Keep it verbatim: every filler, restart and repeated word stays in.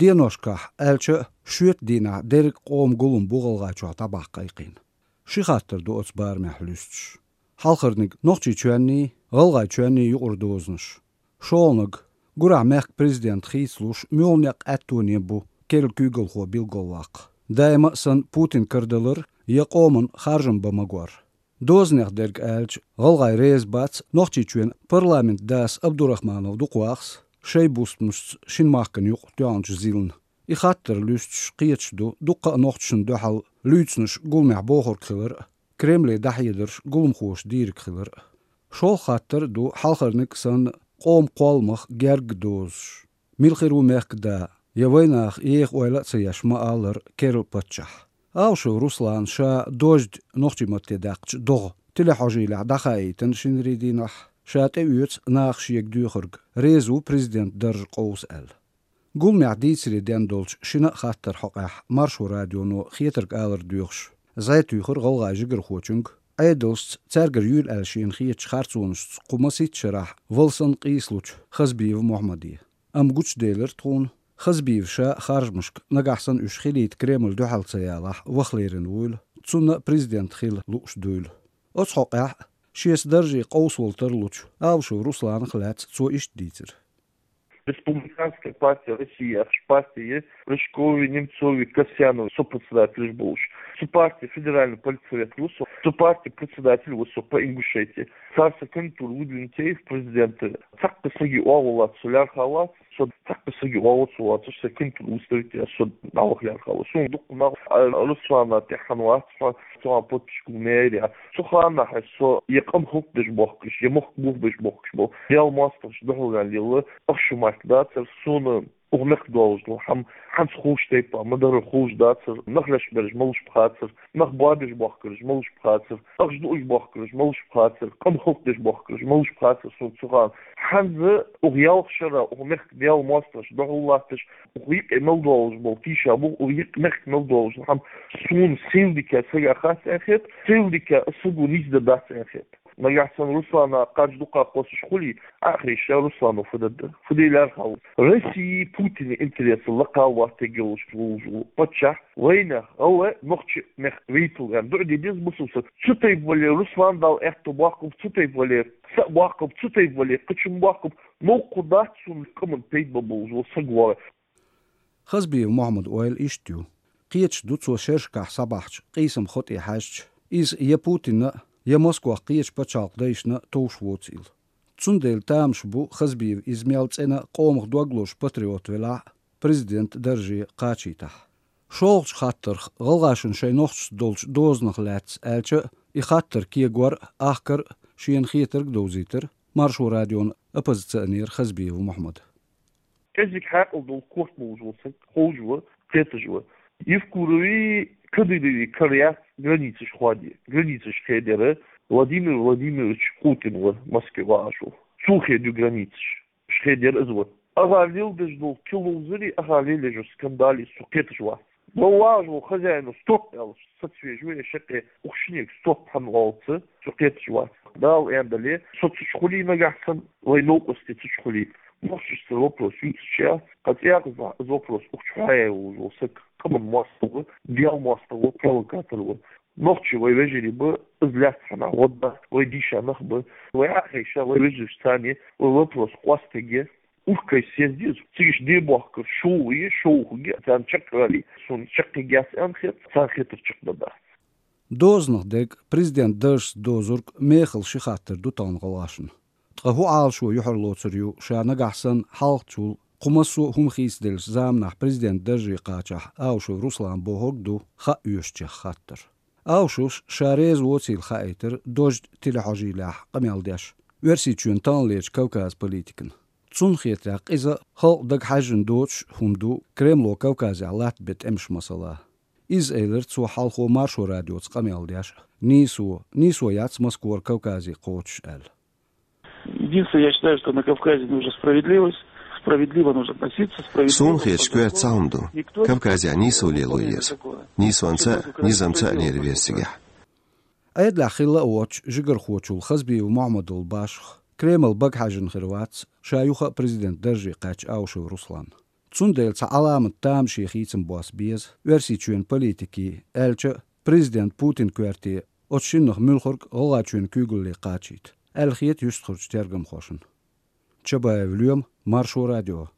Деношкахь, аьлча а, шоьтан дийнахь дерриг а къоман гулам бу ГӀалгӀайчохь дӀабаккха айкхийна. Ши хаттар ду оцу барамехь луьстуш. Хьалхарниг Нохчийчоьнний, ГӀалгӀайчоьнний юкъара дозанаш. ШолгӀаниг, гурахь мехкан президент хийцалуш, муьлха некъ аьттоне бу керла куьйгалхо билгалваккха. Даима а санна Путин карадалар я къоман харжам бан магор. Дозанех дерг аьлча, гӀалгӀай реза бац Нохчийчоьнан парламентан дас Абдурахманов Дукхвахас шайн бустамашца шина махкана юкъа тоьхначу зилна. И хаттар луьстуш кхеташ ду дуккха а нохчашна дуьхьал луьйцинарш гуламехь бохург хилар а, Кремле дӀахьедарш гуламхоша дийриг хилар а. ШолгӀа хаттар а ду хьалхарниг а санна къоман кхолламах герга дозуш. Мила хир ву мехкан да, я вайнаха еха ойла а ца еш ма аллара керла паччахь. Аушев Руслана ша «Дождь» нохчийн матте даьккхича догӀа телехьожийлехь дӀахаийтина шинарин дийнахь, ша тӀеоьцу наха шега доьхург, реза ву президентан дарж къовса аьлла. Гуламехь дийцаре ден долчу шина а хаттаран хьокъехь Маршо радионо хетарг алар доьхуш, зӀе туьйхира гӀалгӀайн жигархочуьнга, Ӏедалшца цаьргара юьйла аьлла шена хетачу харцонашца кху масийтта шарахь вала санна къийсалучу Хазбиев Мохьмаде. Амма гучуделира тхуна, Хазбиев ша а харжамашка, нагахь санна уьш хилийта Кремль дуьхьал ца ялахь, ваха лерина вуйла, цунна а президент хила лууш дуйла. Оцу хьокъехь а, шеца дарже къовсавала тарлучу Аушев Русланах а лаьцна цо иштта дийцира. Республиканская партия России яхаш партия я, Рыжковы, Немцовы, Касьяновы сопредседатель болуш. Цу партин федеральный политсовет ву со, цу партин председатель ву со по Ингушетии. Цара сан кандидатура выдвинуть яй в президенты. Цхьаккха саги оагӀув лаца со лаьрхӀа вац, со цхьаккха саги оагӀув ца воцуш, сан кандидатура выставить ян со дӀаваха лаьрхӀа ву. Суна дукха нах, а, Руслана тӀехьа вац, хьо цхьа подписчик ву мэрия. Цу ханахь со я къам хӀаллакдеш бохкуш, я мохк бухбеш бохкуш бу. Дел мостагӀчу дуьхьал ваьлла лела, ах шу мартдацар, суна ух мехк долуш ду, хьан, хьанца хууш тайпа, ма дара хууш дацар, нах леш бераш малуш бу хацар, нах бобеш бохкараш малуш бу хацар, ахча дууш бохкараш малуш бу хацар, къам хӀаллакдеш бохкараш малуш бу хацар, суна цу хана. Хьанза ух ялх шара, ух мехк дел мостагӀчу дуьхьал латташ, ух йикъе мел долуш болу тийша бу, ух йикъ мехк мел долуш, хьан суна сел дика сага хац аьхет, сел дика саго нийса дан дац аьхет. Нагахь санна Руслана кхаж дукха кхоссуш хуьлий, ахьа ша Руслана фу дан дан, фу де лаьрхӀа ву. России Путина интересан лакхал ваттегелуш ву паччахь, вайнах, гӀалгӀай, нохчи мех вейтал вен дуӀа де деза бусалба саг. Цу тайпа вале Руслан Дала аьтто боккхуп, цу тайпа вале са а боккхуп, цу тайпа вале кхачун боккхуп, новкъа дац цунна къаман пайда бан болуш ву саг вогӀе. Хазбиев Мохьмад ойла иштта ю. Кхеташ ду цо шерашкахь схьабахьчу къийсам хо тӀе хьаьжча, иза я Путинна а, я Москвах кхечу пачхьалкх дайшна а товш воцийла. Цундела тамаш бу Хазбиев иза мел цӀена къомах дог лозуш патриот велахь а, президент дарже кхачийтахь. ШолгӀачу хаттарх, гӀалгӀашна шайн нохчашца долчу дозанах лаьцна аьлча а, и хаттар кегор а, ахкар а, шена хетарг а довзийтира Маршо радион оппозиционер Хазбиев Мохьмад. КӀезиг хьаькъал долу корта болуш волу саг ховш ву, кхеташ ву. Евкуровий, Кадыровий кара яц границаш ходе. Границаш хедера Владимир Владимирович Путин ву, Москве вааш ву. Цо хедо границаш. Ш хедера иза ву. Аха лелдеш долу киловзари, аха лелдеш скандали со кхеташ вац. Бо вааш ву хозяину стоп аьлла, сацвеш ву я шаккхе ухшинег стоп хьан олца, со кхеташ вац. Дала эндале, со цуч хули нагахь сан, вай новкъости цуч хули. Нохчашца вопрос юьйцуча, кхацӀякъза из вопрос ухчу хьаяй ву, саг къаман мостагӀа ву, дел мостагӀа ву, провокатор ву. Нохчи вай вежарий бу, из лаьцна хьанахь гӀо дац, вай дийша нах бу. Вай ахьа хьайша, вай вежарш царни, вай вопрос къостеге, уркай съезде, цигаш де бохкар, шоу е, шоу хуге, царна чекхвали, суна чекхигес ан хет, царна хетар чекхдадац. Дозанах дерг, президент даржца дозург мехала ши хаттар ду тахана гӀалгӀашна. Ткъа хӀун Ӏалашо юьхьарлоцур ю ша нагахь санна хьалхачул кху массо а хӀума хийцаделлачу заманахь президент дарже кхачахь Аушев Руслан бохург ду хаа оьшучех хаттар. Аушевс ша реза воцийла хаийтира «Дождь» телехьожийлехь къамел деш, Оьрсийчоьнан тахналерчу Кавказан политикана. Цунна хетарехь, иза халкъ дага хьаьжжина доцуш а хӀума ду Кремло Кавказехь латта бен тӀемаш масала. Иза элира цо хьалхо Маршо радиоца къамел деш а, нийсо, нийсо яц Москвара Кавказе кхочуш аьлла. Единственное, я считаю, что на Кавказе нужна справедливость, справедливо нужно относиться, справедливо. Суна хеташ коьрта цхьа хӀума ду. Кавказехь нийсо лело еза. Нийсонца а, низамца а лерина веза цигахь. Ӏедалехь хилла а воцуш, жигархочул Хазбиев Мохьмадал башха, Кремль бага хьаьжжина хир вац ша юха а президент дарже кхаьчча Аушев Руслан. Цундела цхьа Ӏаламат тамашийна хийцам босса беза Оьрсийчоьнан политикийн, аьлча а президент Путин коьрте оцу шиннах муьлхарг ГӀалгӀайчоьнан куьйгалле кхачийта, аьлла хета юьстахарчу тергамхошна. Чабаев Лоьма, Маршо радио.